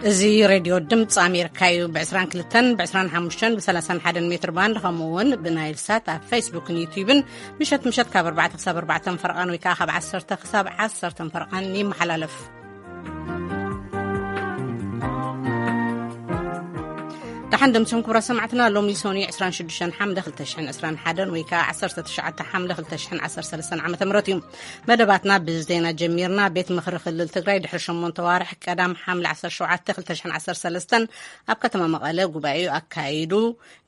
እዚ ሬድዮ ድምፂ ኣሜሪካ እዩ። ብ22፣ ብ25፣ ብ31 ሜትር ባንድ፣ ከምኡ እውን ብናይል ሳት ኣብ ፌስቡክን ዩቲዩብን ምሸት ምሸት ካብ ኣርባዕተ ክሳብ ኣርባዕተ ፈረቓን ወይ ከዓ ካብ ዓሰርተ ክሳብ ዓሰርተ ፈረቓን ይመሓላለፍ። ደሓን ደምሲኹም ክቡራት ሰማዕትና። ሎሚ ሰኑይ 26 ሓምለ 2021 ወይ ከዓ 19 ሓምለ 2013 ዓ ም እዩ። መደባትና ብዜና ጀሚርና። ቤት ምኽሪ ክልል ትግራይ ድሕሪ ሸሞንተ ዋርሕ ቀዳም ሓምለ 17 2013 ኣብ ከተማ መቐለ ጉባኤኡ ኣካይዱ።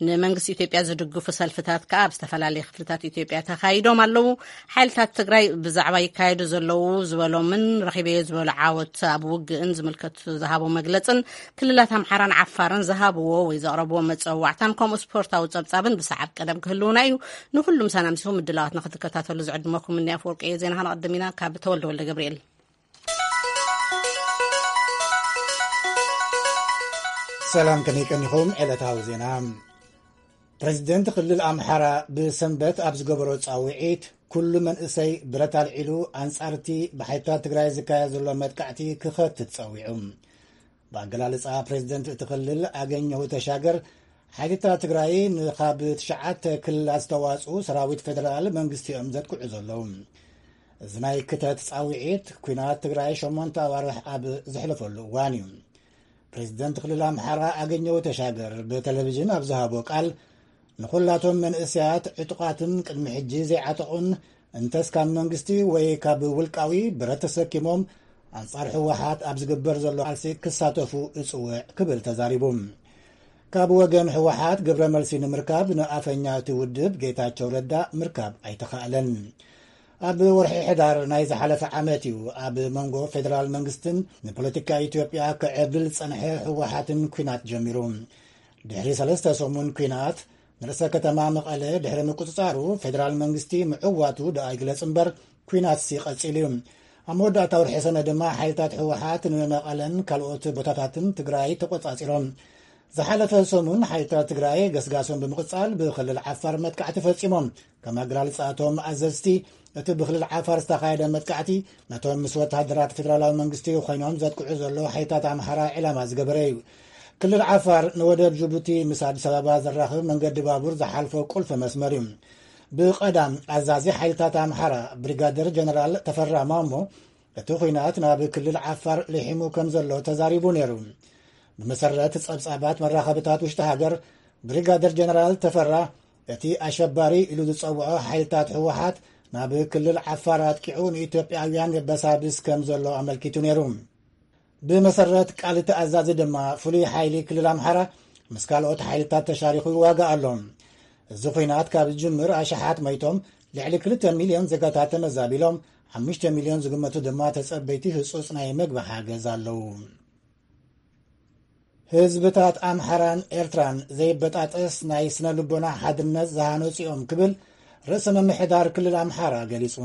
ንመንግስቲ ኢትዮጵያ ዝድግፉ ሰልፍታት ከኣ ኣብ ዝተፈላለየ ክፍልታት ኢትዮጵያ ተኻይዶም ኣለዉ። ሓይልታት ትግራይ ብዛዕባ ይካየዱ ዘለዉ ዝበሎምን ረኺበዮ ዝበሎ ዓወት ኣብ ውግእን ዝምልከት ዝሃቦ መግለጽን ክልላት ኣምሓራን ዓፋርን ዝሃብዎ ወይ ዘቕረብዎ መጸዋዕታን ከምኡ ስፖርታዊ ጸብጻብን ብሰዓብ ቀደም ክህልውና እዩ። ንኹሉም ሰናምሲኹም ምድላዋት ንክትከታተሉ ዝዕድመኩም እኒ ኣፈወርቂ እየ። ዜና ከነቐድም ኢና ካብ ተወልደ ወልደ ገብርኤል። ሰላም፣ ከመይ ቀኒኹም? ዕለታዊ ዜና። ፕሬዚደንት ክልል ኣምሓራ ብሰንበት ኣብ ዝገበሮ ጻውዒት፣ ኩሉ መንእሰይ ብረት ኣልዒሉ ኣንጻርቲ ብሓይልታት ትግራይ ዝካየድ ዘሎ መጥቃዕቲ ክኸትት ጸዊዑ። ብኣገላልጻ ፕሬዚደንት እቲ ክልል ኣገኘሁ ተሻገር፣ ሓይልታት ትግራይ ንኻብ ትሽዓተ ክልላት ዝተዋጽኡ ሰራዊት ፌደራል መንግስቲ እዮም ዘጥቅዑ ዘለዉ። እዚ ናይ ክተት ጻውዒት፣ ኲናት ትግራይ ሸሞንተ ኣዋርሕ ኣብ ዘሕለፈሉ እዋን እዩ። ፕሬዚደንት ክልል ኣምሓራ ኣገኘሁ ተሻገር ብቴሌቪዥን ኣብ ዝሃቦ ቃል፣ ንኹላቶም መንእሰያት ዕጡቓትን ቅድሚ ሕጂ ዘይዓጠቑን፣ እንተስ ካብ መንግስቲ ወይ ካብ ውልቃዊ ብረት ተሰኪሞም ኣንጻር ህወሓት ኣብ ዝግበር ዘሎ ቃልሲ ክሳተፉ እጽውዕ ክብል ተዛሪቡ። ካብ ወገን ህወሓት ግብረ መልሲ ንምርካብ ንኣፈኛ እቲ ውድብ ጌታቸው ረዳ ምርካብ ኣይተኻእለን። ኣብ ወርሒ ሕዳር ናይ ዝሓለፈ ዓመት እዩ ኣብ መንጎ ፌደራል መንግስትን ንፖለቲካ ኢትዮጵያ ክዕብል ዝጸንሐ ህወሓትን ኲናት ጀሚሩ። ድሕሪ ሰለስተ ሰሙን ኲናት፣ ንርእሰ ከተማ መቐለ ድሕሪ ምቁጽጻሩ፣ ፌደራል መንግስቲ ምዕዋቱ ደኣ ይግለጽ እምበር፣ ኲናትሲ ቀጺሉ እዩ። ኣብ መወዳእታ ወርሒ ሰነ ድማ ሓይልታት ህወሓት ንመቐለን ካልኦት ቦታታትን ትግራይ ተቆጻጺሮም። ዝሓለፈ ሰሙን ሓይልታት ትግራይ ገስጋሶም ብምቕጻል ብክልል ዓፋር መጥቃዕቲ ፈጺሞም። ከም ኣገላልጻ እቶም ኣዘዝቲ፣ እቲ ብክልል ዓፋር ዝተኻየደ መጥቃዕቲ ነቶም ምስ ወተሃደራት ፌደራላዊ መንግስቲ ኮይኖም ዘጥቅዑ ዘለዉ ሓይልታት ኣምሓራ ዕላማ ዝገበረ እዩ። ክልል ዓፋር ንወደብ ጅቡቲ ምስ ኣዲስ ኣበባ ዘራኽብ መንገዲ ባቡር ዝሓልፎ ቁልፊ መስመር እዩ። ብቐዳም ኣዛዚ ሓይልታት ኣምሓራ ብሪጋደር ጀነራል ተፈራ ማሞ፣ እቲ ኲናት ናብ ክልል ዓፋር ልሒሙ ከም ዘሎ ተዛሪቡ ነይሩ። ብመሰረት ጸብጻባት መራኸብታት ውሽጢ ሃገር፣ ብሪጋደር ጀነራል ተፈራ፣ እቲ ኣሸባሪ ኢሉ ዝጸውዖ ሓይልታት ህወሓት ናብ ክልል ዓፋር ኣጥቂዑ ንኢትዮጵያውያን የበሳብስ ከም ዘሎ ኣመልኪቱ ነይሩ። ብመሰረት ቃል እቲ ኣዛዚ ድማ፣ ፍሉይ ሓይሊ ክልል ኣምሓራ ምስ ካልኦት ሓይልታት ተሻሪኹ ይዋጋእ ኣሎ። እዚ ኲናት ካብ ዝጅምር ኣሽሓት መይቶም፣ ልዕሊ ክልተ ሚልዮን ዜጋታት ተመዛቢሎም፣ ሓሙሽተ ሚልዮን ዝግመቱ ድማ ተጸበይቲ ህጹጽ ናይ መግቢ ሓገዝ ኣለዉ። ህዝብታት ኣምሓራን ኤርትራን ዘይበጣጠስ ናይ ስነ ልቦና ሓድነት ዝሃነጹ እዮም ክብል ርእሰ ምምሕዳር ክልል ኣምሓራ ገሊጹ።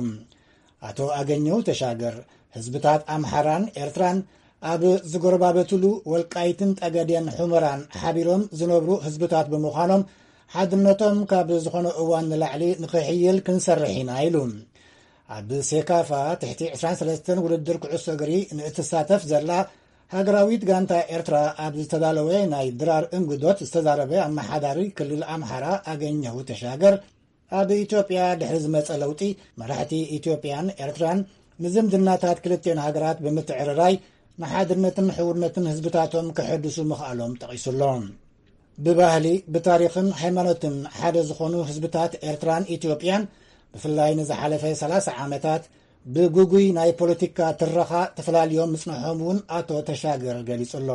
ኣቶ ኣገኘው ተሻገር፣ ህዝብታት ኣምሓራን ኤርትራን ኣብ ዝጎረባበቱሉ ወልቃይትን ጠገዴን ሑመራን ሓቢሮም ዝነብሩ ህዝብታት ብምዃኖም፣ ሓድነቶም ካብ ዝኾነ እዋን ንላዕሊ ንኽሕይል ክንሰርሕ ኢና ኢሉ። ኣብ ሴካፋ ትሕቲ ዕስራን ሰለስተን ውድድር ኩዕሶ እግሪ ንእትሳተፍ ዘላ ሃገራዊት ጋንታ ኤርትራ ኣብ ዝተዳለወ ናይ ድራር እንግዶት ዝተዛረበ ኣመሓዳሪ ክልል ኣምሓራ ኣገኘሁ ተሻገር፣ ኣብ ኢትዮጵያ ድሕሪ ዝመጸ ለውጢ፣ መራሕቲ ኢትዮጵያን ኤርትራን ንዝምድናታት ክልቲኦን ሃገራት ብምትዕርራይ ንሓድነትን ሕውነትን ህዝብታቶም ከሐድሱ ምኽኣሎም ጠቒሱ ኣሎ። ብባህሊ፣ ብታሪኽን ሃይማኖትን ሓደ ዝኾኑ ህዝብታት ኤርትራን ኢትዮጵያን፣ ብፍላይ ንዝሓለፈ ሰላሳ ዓመታት ብግጉይ ናይ ፖለቲካ ትረኻ ተፈላልዮም ምጽንሖም እውን ኣቶ ተሻገር ገሊጹ ኣሎ።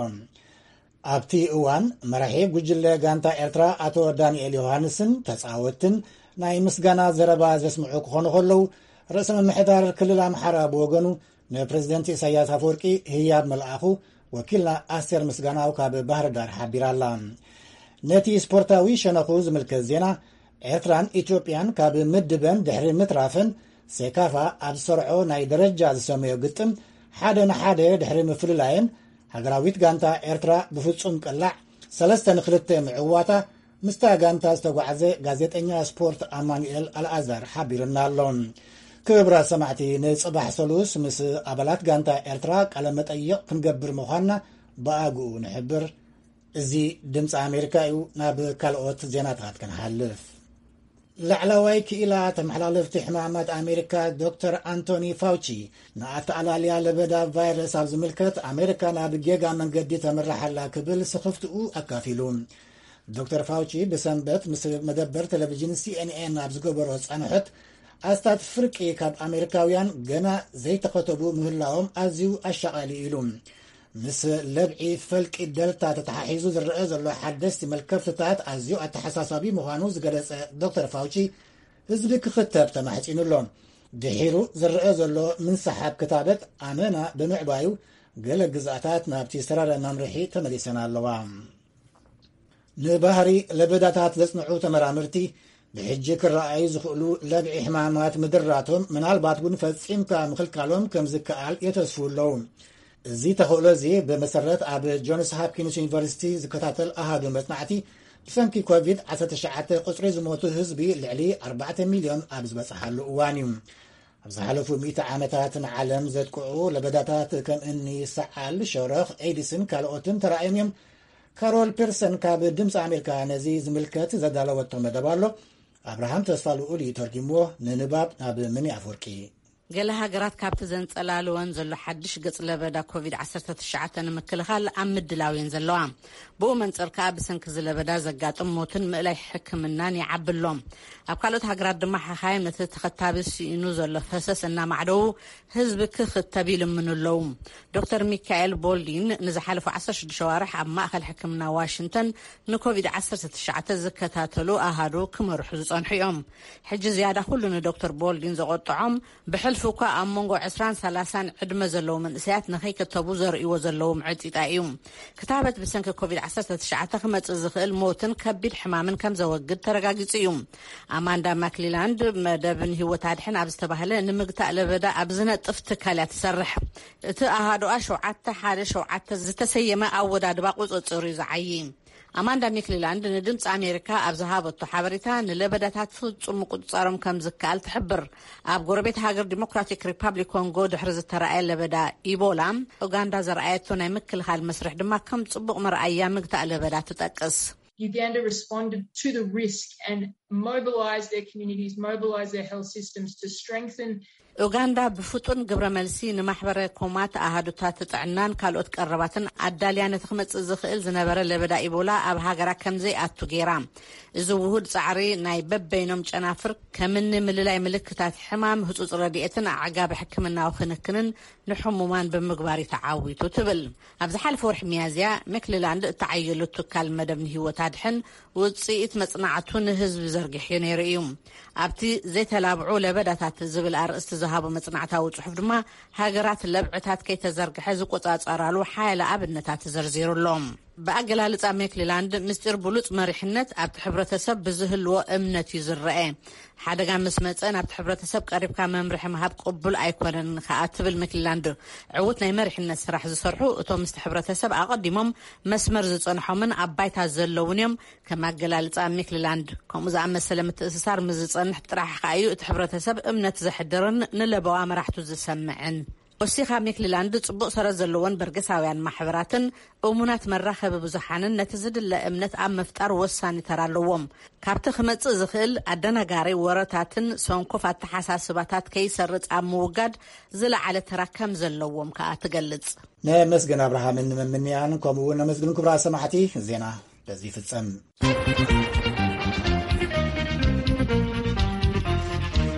ኣብቲ እዋን፣ መራሒ ጉጅለ ጋንታ ኤርትራ ኣቶ ዳንኤል ዮሃንስን ተጻወትን ናይ ምስጋና ዘረባ ዘስምዑ ክኾኑ ከለዉ፣ ርእሰ ምምሕዳር ክልል ኣምሓራ ብወገኑ ንፕሬዝደንት ኢሳያስ ኣፈወርቂ ህያብ መልኣኹ፣ ወኪልና ኣስቴር ምስጋናው ካብ ባህር ዳር ሓቢራ ኣላ። ነቲ ስፖርታዊ ሸነኹ ዝምልከት ዜና፣ ኤርትራን ኢትዮጵያን ካብ ምድበን ድሕሪ ምትራፈን፣ ሴካፋ ኣብ ዝሰርዖ ናይ ደረጃ ዝሰመዮ ግጥም ሓደ ንሓደ ድሕሪ ምፍልላየን፣ ሃገራዊት ጋንታ ኤርትራ ብፍጹም ቅላዕ ሰለስተ ንክልተ ምዕዋታ፣ ምስታ ጋንታ ዝተጓዕዘ ጋዜጠኛ ስፖርት ኣማኑኤል ኣልኣዛር ሓቢሩና ኣሎ። ክቡራት ሰማዕቲ፣ ንጽባሕ ሰሉስ ምስ ኣባላት ጋንታ ኤርትራ ቃለ መጠይቕ ክንገብር ምዃንና ብኣግኡ ንሕብር። እዚ ድምፂ ኣሜሪካ እዩ። ናብ ካልኦት ዜናታት ክንሓልፍ፣ ላዕለዋይ ክኢላ ተመሓላለፍቲ ሕማማት ኣሜሪካ ዶክተር ኣንቶኒ ፋውቺ፣ ንኣተኣላልያ ለበዳ ቫይረስ ኣብ ዝምልከት ኣሜሪካ ናብ ጌጋ መንገዲ ተምርሓላ ክብል ስኽፍትኡ ኣካፊሉ። ዶክተር ፋውቺ ብሰንበት ምስ መደበር ቴሌቪዥን ሲኤንኤን ኣብ ዝገበሮ ፃንሖት፣ ኣስታት ፍርቂ ካብ ኣሜሪካውያን ገና ዘይተኸተቡ ምህላዎም ኣዝዩ ኣሻቓሊ ኢሉ። ምስ ለብዒ ፈልቂ ደልታ ተተሓሒዙ ዝረአ ዘሎ ሓደስቲ መልከፍትታት ኣዝዩ ኣተሓሳሳቢ ምዃኑ ዝገለጸ ዶክተር ፋውቺ፣ ህዝቢ ክኽተብ ተማሕጺኑ ኣሎ። ድሒሩ ዝረአ ዘሎ ምንስሓብ ክታበት ኣመና ብምዕባዩ፣ ገለ ግዝኣታት ናብቲ ዝተራረ መምርሒ ተመሊሰን ኣለዋ። ንባህሪ ለበዳታት ዘጽንዑ ተመራመርቲ፣ ብሕጂ ክረኣዩ ዝኽእሉ ለብዒ ሕማማት ምድራቶም፣ ምናልባት እውን ፈጺምካ ምኽልካሎም ከም ዝከኣል የተስፉ ኣለዉ። እዚ ተኽእሎ እዚ ብመሰረት ኣብ ጆንስ ሃፕኪንስ ዩኒቨርሲቲ ዝከታተል ኣሃዱ መጽናዕቲ፣ ብሰንኪ ኮቪድ ዓሰርተ ትሽዓተ ቁጽሪ ዝሞቱ ህዝቢ ልዕሊ ኣርባዕተ ሚልዮን ኣብ ዝበጽሓሉ እዋን እዩ። ኣብ ዝሓለፉ ሚእቲ ዓመታት ንዓለም ዘጥቅዑ ለበዳታት ከም እኒ ሰዓል፣ ሸረኽ፣ ኤድስን ካልኦትን ተራእዮም እዮም። ካሮል ፒርሰን ካብ ድምፂ ኣሜሪካ ነዚ ዝምልከት ዘዳለወቶ መደብ ኣሎ። ኣብርሃም ተስፋ ልኡል እዩ ተርጊምዎ፣ ንንባብ ናብ ምኒ ኣፍወርቂ። ገለ ሃገራት ካብቲ ዘንጸላልወን ዘሎ ሓድሽ ገጽ ለበዳ ኮቪድ ዓሰርተ ትሽዓተ ንምክልኻል ኣብ ምድላው እየን ዘለዋ። ብኡ መንጽር ከኣ ብሰንኪ እዚ ለበዳ ዘጋጥም ሞትን ምእላይ ሕክምናን ይዓቢ ኣሎ። ኣብ ካልኦት ሃገራት ድማ ሓኻይም ነቲ ተኸታቢ ስኢኑ ዘሎ ፈሰስ እናማዕደዉ ህዝቢ ክኽተብ ይልምኑ ኣለዉ። ዶክተር ሚካኤል ቦልዲን ንዝሓለፉ ዓሰርተ ሽዱሽተ ኣዋርሕ ኣብ ማእከል ሕክምና ዋሽንግተን ንኮቪድ ዓሰርተ ትሽዓተ ዝከታተሉ ኣሃዱ ክመርሑ ዝጸንሑ እዮም። ሕጂ ዝያዳ ኩሉ ንዶክተር ቦልዲን ዘቖጥዖም፣ ብሕልፊ እኳ ኣብ መንጎ ዕስራን ሰላሳን ዕድመ ዘለዉ መንእሰያት ንኸይክተቡ ዘርእይዎ ዘለዉ ምዕጺጣ እዩ። ክታበት ብሰንኪ ኮቪድ ዓሰርተ ትሽዓተ ክመጽእ ዝኽእል ሞትን ከቢድ ሕማምን ከም ዘወግድ ተረጋጊጹ እዩ። ኣማንዳ ማክሊላንድ መደብ ንህይወት ኣድሕን ኣብ ዝተባህለ ንምግታእ ለበዳ ኣብ ዝነጥፍ ትካል እያ ትሰርሕ። እቲ ኣሃዱኣ ሸውዓተ ሓደ ሸውዓተ ዝተሰየመ ኣወዳድባ ቁጽጽር እዩ ዝዓዪ። ኣማንዳ ሚክሊላንድ ንድምፂ ኣሜሪካ ኣብ ዝሃበቶ ሓበሬታ፣ ንለበዳታት ፍጹም ምቁጽጻሮም ከም ዝከኣል ትሕብር። ኣብ ጎረቤት ሃገር ዲሞክራቲክ ሪፓብሊክ ኮንጎ ድሕሪ ዝተረኣየ ለበዳ ኢቦላ፣ ኡጋንዳ ዘርኣየቶ ናይ ምክልኻል መስርሕ ድማ ከም ጽቡቕ መርኣያ ምግታእ ለበዳ ትጠቅስ። Uganda responded to the risk and mobilized their communities, mobilized their health systems to strengthen ኡጋንዳ ብፍጡን ግብረ መልሲ ንማሕበረ ኮማት ኣሃዱታት ጥዕናን ካልኦት ቀረባትን ኣዳልያ ነቲ ክመጽእ ዝኽእል ዝነበረ ለበዳ ኢቦላ ኣብ ሃገራ ከም ዘይኣቱ ገይራ። እዚ ውሁድ ጻዕሪ ናይ በበይኖም ጨናፍር ከምኒ ምልላይ ምልክታት ሕማም፣ ህጹጽ ረድኤትን ኣዕጋቢ ሕክምናዊ ክንክንን ንሕሙማን ብምግባር እዩ ተዓዊቱ ትብል። ኣብ ዝሓለፈ ወርሒ ሚያዝያ፣ ሜክሊላንድ እተዓየሉ ትካል መደብ ንህይወት ኣድሕን ውጽኢት መጽናዕቱ ንህዝቢ ዘርጊሕዮ ነይሩ እዩ። ኣብቲ ዘይተላብዑ ለበዳታት ዝብል ኣርእስቲ ዝሃቦ መጽናዕታዊ ጽሑፍ ድማ፣ ሃገራት ለብዕታት ከይተዘርግሐ ዝቆጻጸራሉ ሓያለ ኣብነታት ዘርዚሩ ኣሎ። ብኣገላልጻ ሜክሊላንድ፣ ምስጢር ብሉጽ መሪሕነት ኣብቲ ሕብረተሰብ ብዝህልዎ እምነት እዩ ዝረአ። ሓደጋ ምስ መጸ ናብቲ ሕብረተሰብ ቀሪብካ መምርሒ ምሃብ ቅቡል ኣይኮነን ከኣ ትብል ሜክሊላንድ። ዕዉት ናይ መሪሕነት ስራሕ ዝሰርሑ እቶም ምስቲ ሕብረተሰብ ኣቐዲሞም መስመር ዝጸንሖምን ኣብ ባይታ ዘለውን እዮም። ከም ኣገላልጻ ሜክሊላንድ፣ ከምኡ ዝኣመሰለ ምትእስሳር ምስ ዝጸንሕ ጥራሕ ከኣ እዩ እቲ ሕብረተሰብ እምነት ዘሕድርን ንለበዋ መራሕቱ ዝሰምዕን። ወሲኻ ሜክሊላንድ፣ ጽቡቕ ሰረት ዘለዎን በርገሳውያን ማሕበራትን እሙናት መራኸቢ ብዙሓንን ነቲ ዝድለ እምነት ኣብ ምፍጣር ወሳኒ ተራ ኣለዎም። ካብቲ ክመጽእ ዝኽእል ኣደናጋሪ ወረታትን ሰንኮፍ ኣተሓሳስባታት ከይሰርጽ ኣብ ምውጋድ ዝለዓለ ተራ ከም ዘለዎም ከኣ ትገልጽ። ነመስገን ኣብርሃምን ንመምንያንን፣ ከምኡ እውን ነመስግን ክቡራት ሰማዕቲ። ዜና በዚ ይፍጸም።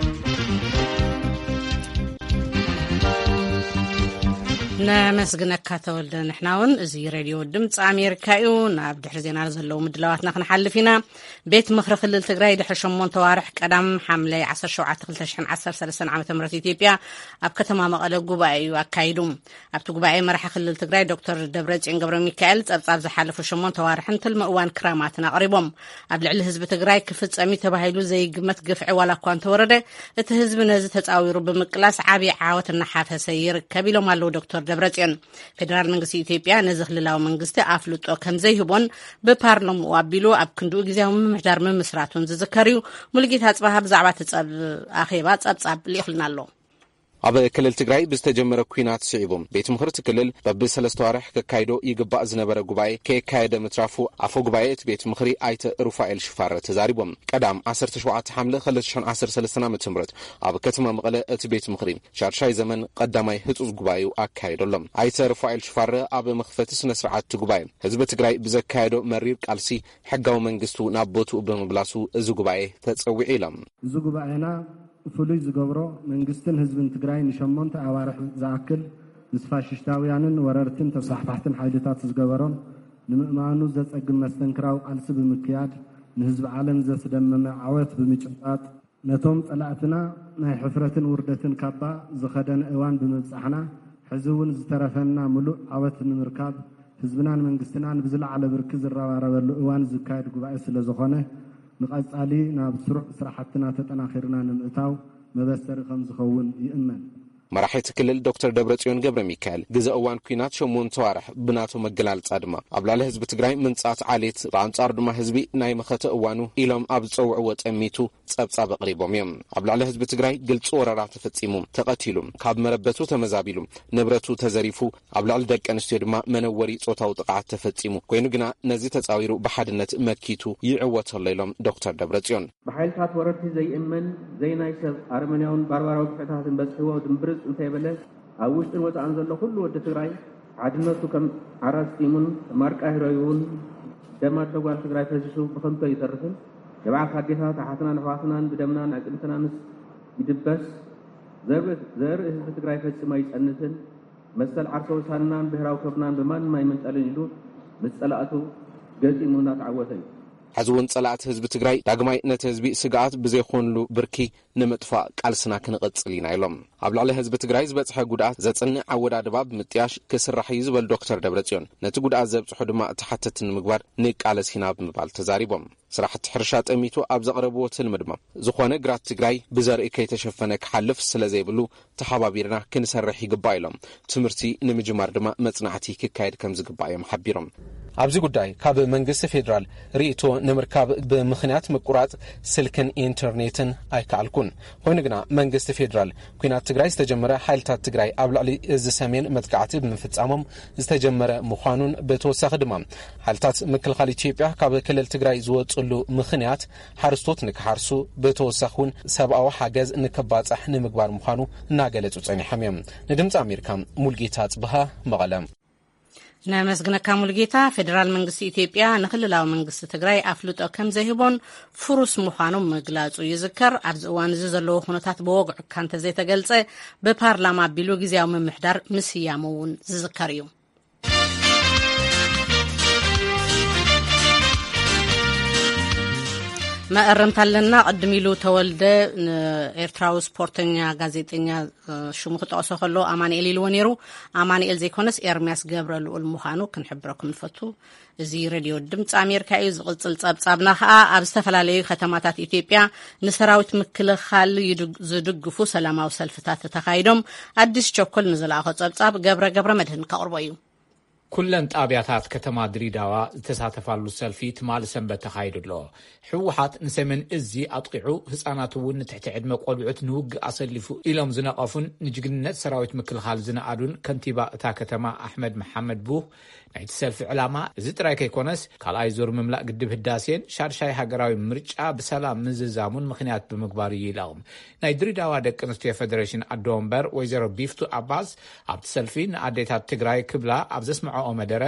ነመስግነካ ተወልደ። ንሕና እውን፣ እዚ ሬድዮ ድምፂ ኣሜሪካ እዩ። ናብ ድሕሪ ዜና ዘለዉ ምድላዋትና ክንሓልፍ ኢና። ቤት ምኽሪ ክልል ትግራይ ድሕሪ ሸሞንተ ዋርሕ ቀዳም ሓምለ ዓሰርተ ሸውዓተ ክልተ ሽሕን ዓሰርተ ሰለስተን ዓመተ ምህረት ኢትዮጵያ ኣብ ከተማ መቐለ ጉባኤ እዩ ኣካይዱ። ኣብቲ ጉባኤ መራሒ ክልል ትግራይ ዶክተር ደብረጽዮን ገብረ ሚካኤል ጸብጻብ ዝሓለፉ ሸሞንተ ዋርሕን ትልሚ እዋን ክራማትን ኣቕሪቦም። ኣብ ልዕሊ ህዝቢ ትግራይ ክፍጸም እዩ ተባሂሉ ዘይግመት ግፍዒ ዋላ እኳ እንተወረደ፣ እቲ ህዝቢ ነዚ ተጻዊሩ ብምቅላስ ዓብዪ ዓወት እናሓፈሰ ይርከብ ኢሎም ኣለዉ ዶክተር ደብረጽዮን። ፌደራል መንግስቲ ኢትዮጵያ ነዚ ክልላዊ መንግስቲ ኣፍልጦ ከም ዘይህቦን ብፓርላምኡ ኣቢሉ ኣብ ክንድኡ ግዜያዊ ምምሕዳር ምምስራቱን ዝዝከር እዩ። ሙሉጌታ ኣጽባሃ ብዛዕባ እቲ ጸብ-፣ ኣኼባ ጸብጻብ ልኢኹልና ኣሎ። ኣብ ክልል ትግራይ ብዝተጀመረ ኲናት ስዒቡ፣ ቤት ምኽሪ እቲ ክልል በብሰለስተ ዋርሕ ከካይዶ ይግባእ ዝነበረ ጉባኤ ከየካየደ ምትራፉ ኣፈ ጉባኤ እቲ ቤት ምኽሪ ኣይተ ሩፋኤል ሽፋረ ተዛሪቦም። ቀዳም ዓሰርተ ሸውዓተ ሓምለ ክልተ ሽሕን ዓሰርተ ሰለስተን ዓመተ ምህረት ኣብ ከተማ መቐለ እቲ ቤት ምኽሪ ሻድሻይ ዘመን ቀዳማይ ህጹጽ ጉባኤኡ ኣካይዶ ኣሎ። ኣይተ ሩፋኤል ሽፋረ ኣብ መኽፈቲ ስነ ስርዓት እቲ ጉባኤ፣ ህዝቢ ትግራይ ብዘካየዶ መሪር ቃልሲ ሕጋዊ መንግስቱ ናብ ቦትኡ ብምምላሱ እዚ ጉባኤ ተጸዊዑ ኢሎም። እዚ ጉባኤና ፍሉይ ዝገብሮ፣ መንግስትን ህዝብን ትግራይ ንሸሞንተ ኣዋርሕ ዝኣክል ምስ ፋሽስታውያንን ወረርትን ተስፋሕፋሕትን ሓይልታት ዝገበሮን ንምእማኑ ዘጸግም መስተንክራዊ ቃልሲ ብምክያድ፣ ንህዝቢ ዓለም ዘስደመመ ዓወት ብምጭባጥ፣ ነቶም ጸላእትና ናይ ሕፍረትን ውርደትን ካባ ዝኸደነ እዋን ብምብጻሕና፣ ሕዚ እውን ዝተረፈና ምሉእ ዓወት ንምርካብ፣ ህዝብናን መንግስትናን ብዝለዓለ ብርኪ ዝረባረበሉ እዋን ዝካየድ ጉባኤ ስለ ዝኾነ፣ ንቐጻሊ ናብ ስሩዕ ስራሕትና ተጠናኺርና ንምእታው መበሰሪ ከም ዝኸውን ይእመን። መራሒ እቲ ክልል ዶክተር ደብረጽዮን ገብረ ሚካኤል፣ ግዘ እዋን ኲናት ሸሞንተ ዋርሕ ብናቶም ኣገላልጻ ድማ፣ ኣብ ልዕሊ ህዝቢ ትግራይ ምንጻት ዓሌት፣ ብኣንጻሩ ድማ ህዝቢ ናይ መኸተ እዋኑ ኢሎም ኣብ ዝጸውዕዎ ጠሚቱ ጸብጻብ ኣቕሪቦም እዮም። ኣብ ልዕሊ ህዝቢ ትግራይ ግልጺ ወረራ ተፈጺሙ፣ ተቐቲሉ፣ ካብ መረበቱ ተመዛቢሉ፣ ንብረቱ ተዘሪፉ፣ ኣብ ልዕሊ ደቂ ኣንስትዮ ድማ መነወሪ ጾታዊ ጥቕዓት ተፈጺሙ። ኮይኑ ግና ነዚ ተጻዊሩ ብሓድነት መኪቱ ይዕወት ኣሎ ኢሎም ዶክተር ደብረጽዮን። ብሓይልታት ወረርቲ ዘይእመን፣ ዘይናይ ሰብ ኣረመኔያውን ባርባራዊ ግፍዕታትን በጽሕዎ ድምብርጽ እንተይበለ፣ ኣብ ውሽጥን ወጻእን ዘሎ ኩሉ ወዲ ትግራይ ሓድነቱ ከም ዓራስ ጢሙን ማርቃ ህረዩውን ደም ኣደ ጓል ትግራይ ፈሲሱ ብኸንቱ ኣይተርፍን። ንብዓት ኣዴታት ኣሓትናን ኣሕዋትናን ብደምናን ኣዕጽምትናንስ ይድበስ። ዘርኢ፣ ዘርኢ ህዝቢ ትግራይ ፈጺሙ ኣይጸንትን። መሰል ዓርሰ ውሳንናን ብሄራዊ ክብርናን ብማንም ኣይምንጠልን ኢሉ ምስ ጸላእቱ ገጢሙ እናተዓወተ እዩ። ሕዚ እውን ጸላእቲ ህዝቢ ትግራይ ዳግማይ ነቲ ህዝቢ ስግኣት ብዘይኮንሉ ብርኪ ንምጥፋእ ቃልስና ክንቕጽል ኢና ኢሎም። ኣብ ልዕሊ ህዝቢ ትግራይ ዝበጽሐ ጉድኣት ዘጽንዕ ኣወዳድባ ብምጥያሽ ክስራሕ እዩ ዝበሉ ዶክተር ደብረጽዮን፣ ነቲ ጉድኣት ዘብጽሑ ድማ ተሓተቲ ንምግባር ንቃለስ ኢና ብምባል ተዛሪቦም። ስራሕቲ ሕርሻ ጠሚቱ ኣብ ዘቕረብዎ ትልሚ ድማ፣ ዝኾነ ግራት ትግራይ ብዘርኢ ከይተሸፈነ ክሓልፍ ስለ ዘይብሉ ተሓባቢርና ክንሰርሕ ይግባእ ኢሎም። ትምህርቲ ንምጅማር ድማ መጽናዕቲ ክካየድ ከም ዝግባእ እዮም ሓቢሮም። ኣብዚ ጉዳይ ካብ መንግስቲ ፌዴራል ርእይቶ ንምርካብ ብምኽንያት ምቁራጽ ስልክን ኢንተርኔትን ኣይከኣልኩን። ኮይኑ ግና መንግስቲ ፌዴራል ኲናት ትግራይ ዝተጀመረ ሓይልታት ትግራይ ኣብ ልዕሊ እዚ ሰሜን መጥቃዕቲ ብምፍጻሞም ዝተጀመረ ምዃኑን ብተወሳኺ ድማ ሓይልታት ምክልኻል ኢትዮጵያ ካብ ክልል ትግራይ ዝወፅሉ ምኽንያት ሓረስቶት ንክሓርሱ ብተወሳኺ እውን ሰብኣዊ ሓገዝ ንክባፃሕ ንምግባር ምዃኑ እናገለፁ ፀኒሖም እዮም። ንድምፂ ኣሜሪካ ሙልጌታ ፅብሃ መቐለ። ነመስግነካ ሙልጌታ። ፌዴራል መንግስቲ ኢትዮጵያ ንክልላዊ መንግስቲ ትግራይ ኣፍልጦ ከም ዘይህቦን ፍሩስ ምዃኑ ምግላጹ ይዝከር። ኣብዚ እዋን እዚ ዘለዎ ኩነታት ብወግዒ እኳ እንተዘይተገልጸ፣ ብፓርላማ ኣቢሉ ግዝያዊ ምምሕዳር ምስያሙ እውን ዝዝከር እዩ። መእረምታ ኣለና። ቅድም ኢሉ ተወልደ ንኤርትራዊ ስፖርተኛ ጋዜጠኛ ሽሙ ክጠቕሶ ከሎ ኣማንኤል ኢልዎ ነይሩ። ኣማንኤል ዘይኮነስ ኤርምያስ ገብረ ልኡል ምዃኑ ክንሕብረኩም ንፈቱ። እዚ ሬድዮ ድምፂ ኣሜሪካ እዩ። ዝቕፅል ፀብፃብና ከዓ ኣብ ዝተፈላለዩ ከተማታት ኢትዮጵያ ንሰራዊት ምክልኻል ይድግ-፣ ዝድግፉ ሰላማዊ ሰልፍታት ተኻይዶም። ኣዲስ ቸኮል ንዝለኣኾ ፀብፃብ ገብረ ገብረ መድህን ከቕርቦ እዩ። ኩለን ጣብያታት ከተማ ድሪዳዋ ዝተሳተፋሉ ሰልፊ ትማሊ ሰንበት ተኻይዱ ኣሎ። ህወሓት ንሰሜን እዚ ኣጥቂዑ፣ ህፃናት እውን ንትሕቲ ዕድመ ቆልዑት ንውግእ ኣሰሊፉ ኢሎም ዝነቐፉን ንጅግንነት ሰራዊት ምክልኻል ዝነኣዱን ከንቲባ እታ ከተማ ኣሕመድ መሓመድ ቡህ፣ ናይቲ ሰልፊ ዕላማ እዚ ጥራይ ከይኮነስ፣ ካልኣይ ዙር ምምላእ ግድብ ህዳሴን ሻድሻይ ሃገራዊ ምርጫ ብሰላም ምዝዛሙን ምኽንያት ብምግባር እዩ ኢሎም። ናይ ድሬዳዋ ደቂ ኣንስትዮ ፌደሬሽን ኣዶ ወንበር ወይዘሮ ቢፍቱ ኣባስ ኣብቲ ሰልፊ ንኣዴታት ትግራይ ክብላ ኣብ ዘስምዐኦ መደረ፣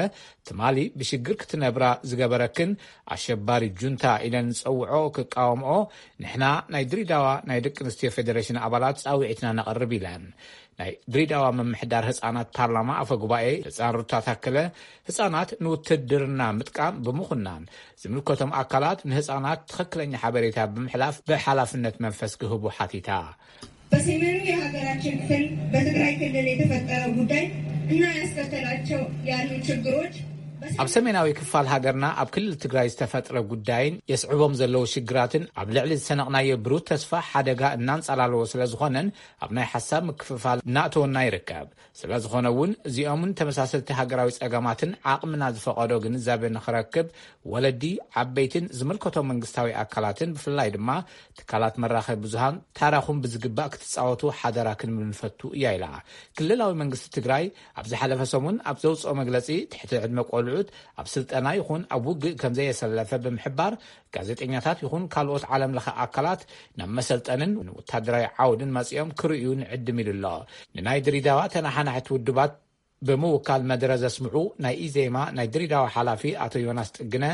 ትማሊ ብሽግር ክትነብራ ዝገበረክን ኣሸባሪ ጁንታ ኢለን ዝጸውዖ ክቃወምኦ ንሕና ናይ ድሬዳዋ ናይ ደቂ ኣንስትዮ ፌደሬሽን ኣባላት ጻውዒትና ነቕርብ ኢለን። ናይ ድሬዳዋ ምምሕዳር ህጻናት ፓርላማ ኣፈ ጉባኤ ህጻን ሩታ ታከለ፣ ህጻናት ንውትድርና ምጥቃም ብምኹናን፣ ዝምልከቶም ኣካላት ንህጻናት ትኽክለኛ ሓበሬታ ብምሕላፍ ብሓላፍነት መንፈስ ክህቡ ሓቲታ። በሰሜኑ የሀገራችን ክፍል በትግራይ ክልል የተፈጠረው ጉዳይ እና ያስከተላቸው ያሉ ችግሮች ኣብ ሰሜናዊ ክፋል ሃገርና ኣብ ክልል ትግራይ ዝተፈጥረ ጉዳይን የስዕቦም ዘለዉ ሽግራትን ኣብ ልዕሊ ዝሰነቕናዮ ብሩህ ተስፋ ሓደጋ እናንጸላለዎ ስለ ዝኾነን ኣብ ናይ ሓሳብ ምክፍፋል እናእተወና ይርከብ። ስለ ዝኾነ እውን እዚኦምን ተመሳሰልቲ ሃገራዊ ጸገማትን ዓቕምና ዝፈቐዶ ግንዛቤ ንኽረክብ ወለዲ፣ ዓበይትን ዝምልከቶም መንግስታዊ ኣካላትን ብፍላይ ድማ ትካላት መራኸቢ ብዙሃን ታራኹም ብዝግባእ ክትጻወቱ ሓደራ ክንብል ንፈቱ እያ ኢላ። ክልላዊ መንግስቲ ትግራይ ኣብ ዝሓለፈ ሰሙን ኣብ ዘውፅኦ መግለፂ ትሕቲ ዕድመ ቆልዑት ኣብ ስልጠና ይኹን ኣብ ውግእ ከም ዘየሰለፈ ብምሕባር ጋዜጠኛታት ይኹን ካልኦት ዓለም ለኸ ኣካላት ናብ መሰልጠንን ወታደራዊ ዓውድን መፂኦም ክርእዩ ንዕድም ኢሉ ኣሎ። ንናይ ድሪዳዋ ተናሓናሕቲ ውድባት ብምውካል መደረ ዘስምዑ ናይ ኢዜማ ናይ ድሪዳዋ ሓላፊ ኣቶ ዮናስ ጥግነ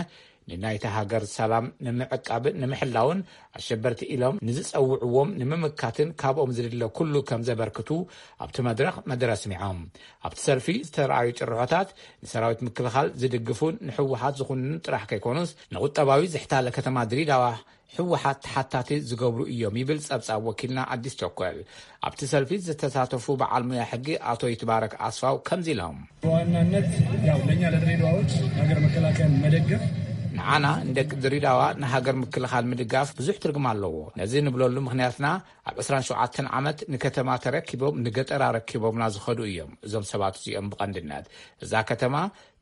ንናይታ ሃገር ሰላም ንምዕቃብን ንምሕላውን ኣሸበርቲ ኢሎም ንዝጸውዕዎም ንምምካትን ካብኦም ዝድለ ኩሉ ከም ዘበርክቱ ኣብቲ መድረኽ መደረ ኣስሚዖም። ኣብቲ ሰልፊ ዝተረኣዩ ጭርሖታት ንሰራዊት ምክልኻል ዝድግፉን ንሕወሓት ዝኹንኑን ጥራሕ ከይኮኑስ ንቁጠባዊ ዝሕታለ ከተማ ድሪዳዋ ህወሓት ተሓታቲ ዝገብሩ እዮም ይብል ጸብጻብ ወኪልና ኣዲስ ቸኮል። ኣብቲ ሰልፊ ዝተሳተፉ በዓል ሙያ ሕጊ ኣቶ ይትባረክ ኣስፋው ከምዚ ኢሎም። በዋናነት ያው ለእኛ ለድሬዳዋዎች ሀገር መከላከያን መደገፍ ንዓና ንደቂ ድሪዳዋ ንሃገር ምክልኻል ምድጋፍ ብዙሕ ትርጉም ኣለዎ። ነዚ ንብለሉ ምኽንያትና ኣብ ዕስራን ሸውዓተን ዓመት ንከተማ ተረኪቦም ንገጠር ኣረኪቦምና ዝኸዱ እዮም። እዞም ሰባት እዚኦም ብቐንድነት እዛ ከተማ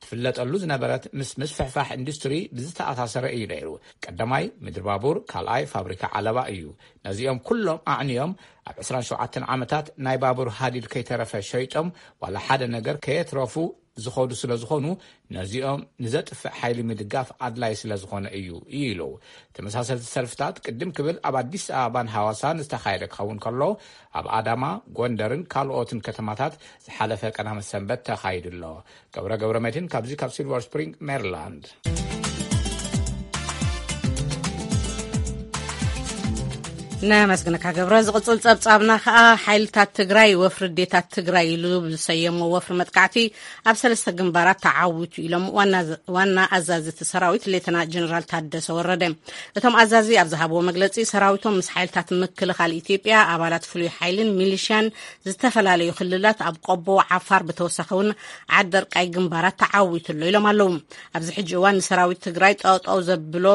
ትፍለጠሉ ዝነበረት ምስ ምስፍሕፋሕ ኢንዱስትሪ ብዝተኣሳሰረ እዩ ነይሩ። ቀዳማይ ምድሪ ባቡር፣ ካልኣይ ፋብሪካ ዓለባ እዩ። ነዚኦም ኩሎም ኣዕንዮም ኣብ ዕስራን ሸውዓተን ዓመታት ናይ ባቡር ሃዲድ ከይተረፈ ሸይጦም ዋላ ሓደ ነገር ከየትረፉ ዝኸዱ ስለ ዝኾኑ ነዚኦም ንዘጥፍእ ሓይሊ ምድጋፍ ኣድላይ ስለ ዝኾነ እዩ ኢሉ። ተመሳሰልቲ ሰልፍታት ቅድም ክብል ኣብ ኣዲስ ኣበባን ሃዋሳን ዝተኻየደ ክኸውን ከሎ ኣብ ኣዳማ፣ ጎንደርን ካልኦትን ከተማታት ዝሓለፈ ቀዳመ ሰንበት ተኻይዱ ኣሎ። ገብረ ገብረ መድህን ካብዚ ካብ ሲልቨር ስፕሪንግ ሜሪላንድ። ነመስግነካ ገብረ። ዝቕጽል ጸብጻብና ከኣ ሓይልታት ትግራይ ወፍሪ ኣዴታት ትግራይ ኢሉ ብዝሰየሞ ወፍሪ መጥቃዕቲ ኣብ ሰለስተ ግንባራት ተዓዊቱ ኢሎም ዋና ኣዛዚ እቲ ሰራዊት ሌተና ጀነራል ታደሰ ወረደ። እቶም ኣዛዚ ኣብ ዝሃብዎ መግለጺ ሰራዊቶም ምስ ሓይልታት ምክልኻል ኢትዮጵያ ኣባላት ፍሉይ ሓይልን ሚሊሽያን ዝተፈላለዩ ክልላት ኣብ ቆቦ ዓፋር ብተወሳኺ እውን ዓደርቃይ ግንባራት ተዓዊቱ ኣሎ ኢሎም ኣለዉ። ኣብዚ ሕጂ እዋን ንሰራዊት ትግራይ ጠጠው ዘብሎ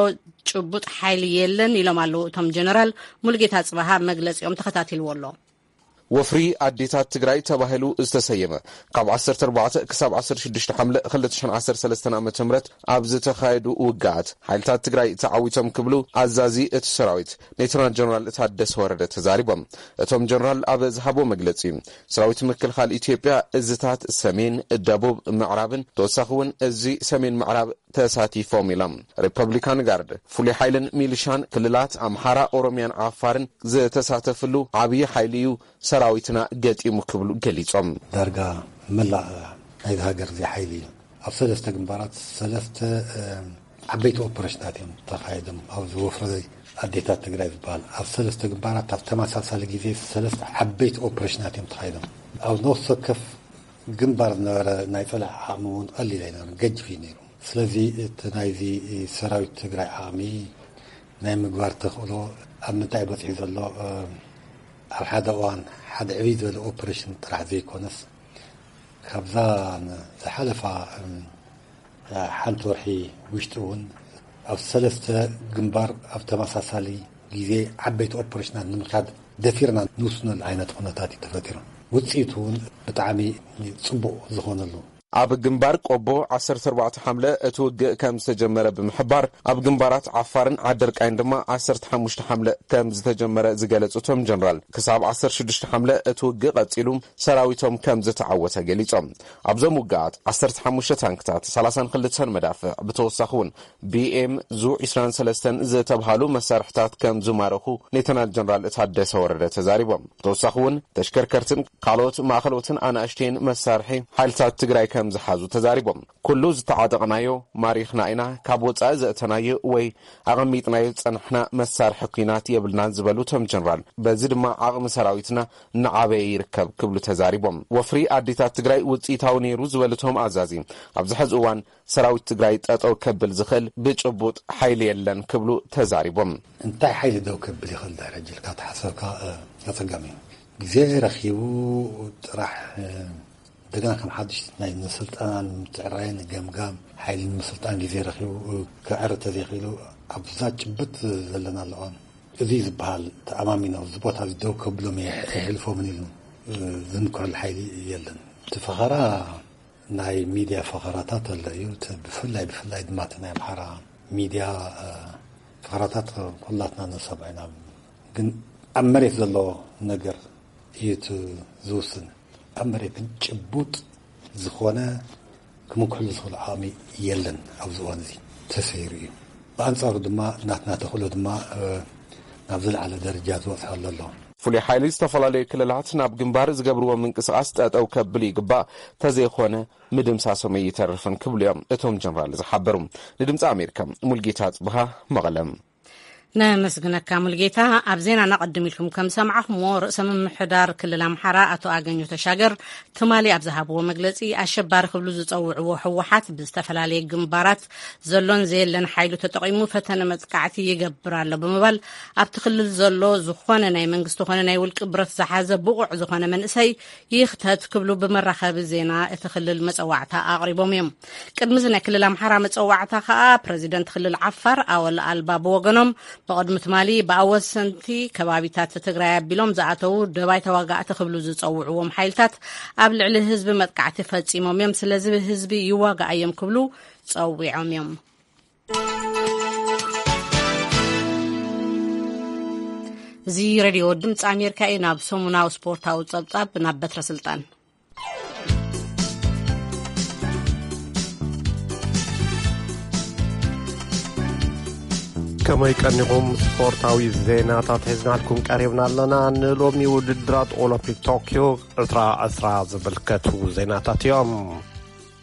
ጭቡጥ ሓይሊ የለን ኢሎም ኣለዉ እቶም ጀነራል። ሙሉጌታ ጽባሃ መግለጺኦም ተኸታቲልዎ ኣሎ። ወፍሪ ኣዴታት ትግራይ ተባሂሉ ዝተሰየመ ካብ ዓሰርተ ኣርባዕተ ክሳብ ዓሰርተ ሽዱሽተ ሓምለ ክልተ ሽሕን ዓሰርተ ሰለስተን ዓመተ ምህረት ኣብ ዝተኻየዱ ውግኣት ሓይልታት ትግራይ ተዓዊቶም ክብሉ ኣዛዚ እቲ ሰራዊት ሌተናል ጀነራል ታደሰ ወረደ ተዛሪቦም። እቶም ጀነራል ኣብ ዝሃብዎ መግለፂ ሰራዊት ምክልኻል ኢትዮጵያ እዝታት ሰሜን፣ ደቡብ፣ ምዕራብን ተወሳኺ እውን እዚ ሰሜን ምዕራብ ተሳቲፎም ኢሎም። ሪፐብሊካን ጋርድ፣ ፍሉይ ሓይልን ሚሊሻን ክልላት ኣምሓራ፣ ኦሮሚያን ዓፋርን ዝተሳተፍሉ ዓብዪ ሓይሊ እዩ ሰራዊትና ገጢሙ ክብሉ ገሊጾም። ዳርጋ መላእ ናይዚ ሃገር እዚ ሓይሊ እዩ ኣብ ሰለስተ ግንባራት ሰለስተ ዓበይቲ ኦፐሬሽናት እዮም ተኻይዶም። ኣብዚ ወፍሪ ኣዴታት ትግራይ ዝበሃል ኣብ ሰለስተ ግንባራት ኣብ ተመሳሳሊ ግዜ ሰለስተ ዓበይቲ ኦፐሬሽናት እዮም ተኻይዶም። ኣብ ነፍሲ ወከፍ ግንባር ዝነበረ ናይ ጸላኢ ዓቕሚ እውን ቀሊል ኣይነበረን፣ ገጅፍ እዩ ነይሩ። ስለዚ እቲ ናይዚ ሰራዊት ትግራይ ዓቕሚ ናይ ምግባር ተኽእሎ ኣብ ምንታይ በፂሑ ዘሎ ኣብ ሓደ እዋን ሓደ ዕብይ ዝበለ ኦፕሬሽን ጥራሕ ዘይኮነስ ካብዛ ዝሓለፋ ሓንቲ ወርሒ ውሽጢ እውን ኣብ ሰለስተ ግንባር ኣብ ተመሳሳሊ ግዜ ዓበይቲ ኦፕሬሽናት ንምካድ ደፊርና ንውስነሉ ዓይነት ኩነታት እዩ ተፈጢሩ። ውፅኢቱ እውን ብጣዕሚ ፅቡቕ ዝኾነሉ። ኣብ ግንባር ቆቦ ዓሰርተ ኣርባዕተ ሓምለ እቲ ውግእ ከም ዝተጀመረ ብምሕባር ኣብ ግንባራት ዓፋርን ዓደርቃይን ድማ ዓሰርተ ሓሙሽተ ሓምለ ከም ዝተጀመረ ዝገለጹ እቶም ጀነራል ክሳብ ዓሰርተ ሽዱሽተ ሓምለ እቲ ውግእ ቀጺሉ ሰራዊቶም ከም ዝተዓወተ ገሊጾም። ኣብዞም ውግኣት ዓሰርተ ሓሙሽተ ታንክታት፣ ሰላሳን ክልተን መዳፍዕ ብተወሳኺ እውን ቢኤም ዙ ዕስራን ሰለስተን ዝተብሃሉ መሳርሕታት ከም ዝማረኹ ሌተናል ጀነራል ታደሰ ወረደ ተዛሪቦም። ብተወሳኺ እውን ተሽከርከርትን ካልኦት ማእኸሎትን ኣናእሽተይን መሳርሒ ሓይልታት ትግራይ ከም ዝሓዙ ተዛሪቦም። ኩሉ ዝተዓጠቕናዮ ማሪኽና ኢና፣ ካብ ወፃኢ ዘእተናዮ ወይ ኣቐሚጥናዮ ዝፀናሕና መሳርሒ ኲናት የብልናን ዝበሉ እቶም ጀነራል፣ በዚ ድማ ዓቕሚ ሰራዊትና እናዓበየ ይርከብ ክብሉ ተዛሪቦም። ወፍሪ ኣዴታት ትግራይ ውፅኢታዊ ነይሩ ዝበሉ እቶም ኣዛዚ፣ ኣብዚ ሕዚ እዋን ሰራዊት ትግራይ ጠጠው ከብል ዝኽእል ብጭቡጥ ሓይሊ የለን ክብሉ ተዛሪቦም። እንታይ ሓይሊ ደው ከብል ይኽእል ድሕሪ ሕጂ ኢልካ ተሓሰብካ ኣፀጋሚ እዩ። ግዜ ረኺቡ ጥራሕ እንደገና ከም ሓድሽ ናይ ምስልጣን ምትዕራይን ገምጋም ሓይሊ ንምስልጣን ግዜ ረኺቡ ክዕር ተዘይኽኢሉ ኣብዛ ጭብጥ ዘለና ኣለዋን እዚ ዝበሃል ተኣማሚኖ እዚ ቦታ እዚ ደው ከብሎም የሕልፎምን ኢሉ ዝምክረሉ ሓይሊ የለን። እቲ ፈኸራ ናይ ሚድያ ፈኸራታት ኣሎ እዩ። እቲ ብፍላይ ብፍላይ ድማ እቲ ናይ ኣምሓራ ሚድያ ፈኸራታት ኩላትና ንሰምዖ ኢና። ግን ኣብ መሬት ዘሎ ነገር እዩ እቲ ዝውስን። ኣብ መሬት ግን ጭቡጥ ዝኾነ ክምክሕሉ ዝኽእሉ ዓቕሚ የለን ኣብዚ እዋን እዚ ተሰይሩ እዩ። ብኣንጻሩ ድማ ናትና ተኽእሎ ድማ ናብ ዝለዓለ ደረጃ ዝበጽሐሉ ኣሎ። ፍሉይ ሓይሊ ዝተፈላለዩ ክልላት ናብ ግንባር ዝገብርዎ ምንቅስቓስ ጠጠው ከብል ይግባእ፣ ተዘይኾነ ምድምሳሶም ኣይተርፍን ክብሉ እዮም እቶም ጀነራል ዝሓበሩ። ንድምፂ ኣሜሪካ ሙልጌታ ጽብሃ መቐለም። ነመስግነካ ሙልጌታ። ኣብ ዜና ናቐድም ኢልኩም ከም ሰማዕኹምዎ ርእሰ ምምሕዳር ክልል ኣምሓራ ኣቶ ኣገኙ ተሻገር ትማሊ ኣብ ዝሃብዎ መግለፂ ኣሸባሪ ክብሉ ዝፀውዕዎ ህወሓት ብዝተፈላለየ ግንባራት ዘሎን ዘየለን ሓይሉ ተጠቒሙ ፈተነ መጥቃዕቲ ይገብር ኣሎ ብምባል ኣብቲ ክልል ዘሎ ዝኾነ ናይ መንግስቲ ኾነ ናይ ውልቂ ብረት ዝሓዘ ብቑዕ ዝኾነ መንእሰይ ይኽተት ክብሉ ብመራኸቢ ዜና እቲ ክልል መፀዋዕታ ኣቕሪቦም እዮም። ቅድሚ እዚ ናይ ክልል ኣምሓራ መፀዋዕታ ከኣ ፕረዚደንት ክልል ዓፋር ኣወል ኣልባ ብወገኖም ብቕድሚ ትማሊ ብኣወሰንቲ ከባቢታት ትግራይ ኣቢሎም ዝኣተዉ ደባይ ተዋጋእቲ ክብሉ ዝፀውዕዎም ሓይልታት ኣብ ልዕሊ ህዝቢ መጥቃዕቲ ፈፂሞም እዮም፣ ስለዚ ህዝቢ ይዋጋእ እዮም ክብሉ ፀዊዖም እዮም። እዚ ሬድዮ ድምፂ ኣሜሪካ እዩ። ናብ ሰሙናዊ ስፖርታዊ ፀብፃብ ናብ በትረ ስልጣን። ከመይ ቀኒኹም? ስፖርታዊ ዜናታት ሒዝናልኩም ቀሪብና ኣለና። ንሎሚ ውድድራት ኦሎምፒክ ቶክዮ ዕስራ ዕስራ ዝምልከቱ ዜናታት እዮም።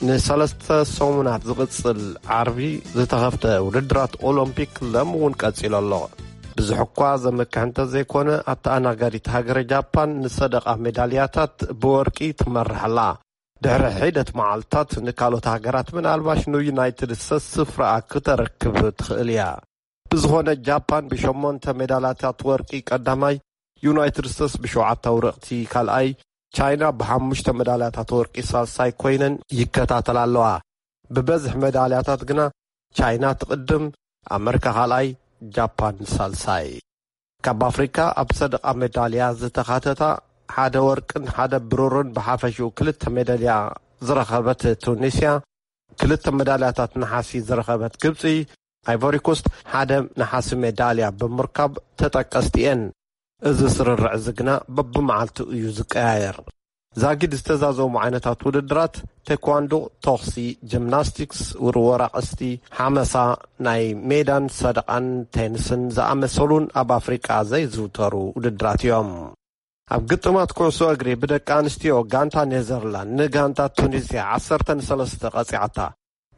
ንሰለስተ ሰሙናት ዝቕጽል ዓርቢ ዝተኸፍተ ውድድራት ኦሎምፒክ ሎም እውን ቀጺሉ ኣሎ። ብዙሕ እኳ ዘመክሕ እንተዘይኮነ፣ ኣተኣናጋዲት ሃገረ ጃፓን ንሰደቓ ሜዳልያታት ብወርቂ ትመርሕ ኣላ። ድሕሪ ሒደት መዓልታት ንካልኦት ሃገራት ምናልባሽ ንዩናይትድ ስቴትስ ስፍራኣ ክተረክብ ትኽእል እያ። ብዝኾነ ጃፓን ብሸሞንተ ሜዳልያታት ወርቂ ቀዳማይ፣ ዩናይትድ ስቴትስ ብሸውዓተ ኣውረቕቲ ካልኣይ፣ ቻይና ብሓሙሽተ ሜዳልያታት ወርቂ ሳልሳይ ኮይነን ይከታተላ ኣለዋ። ብበዝሒ ሜዳልያታት ግና ቻይና ትቕድም፣ ኣመሪካ ካልኣይ፣ ጃፓን ሳልሳይ። ካብ ኣፍሪካ ኣብ ሰደቓ ሜዳልያ ዝተኻተታ ሓደ ወርቅን ሓደ ብሩርን ብሓፈሽኡ ክልተ ሜዳልያ ዝረኸበት ቱኒስያ፣ ክልተ ሜዳልያታት ነሓሲ ዝረኸበት ግብፂ፣ ኣይቮሪኮስት ሓደ ነሓሲ ሜዳልያ ብምርካብ ተጠቀስቲ እየን። እዚ ስርርዕ እዚ ግና በብመዓልቱ እዩ ዝቀያየር። ዛጊድ ዝተዛዘሙ ዓይነታት ውድድራት፣ ቴኳንዶ፣ ተኹሲ፣ ጂምናስቲክስ፣ ውርወራ ቀስቲ፣ ሓመሳ፣ ናይ ሜዳን ሰደቓን ቴኒስን ዝኣመሰሉን ኣብ ኣፍሪቃ ዘይዝውተሩ ውድድራት እዮም። ኣብ ግጥማት ኩዕሶ እግሪ ብደቂ ኣንስትዮ ጋንታ ኔዘርላንድ ንጋንታ ቱኒዝያ ዓሰርተ ንሰለስተ ቀጺዓታ።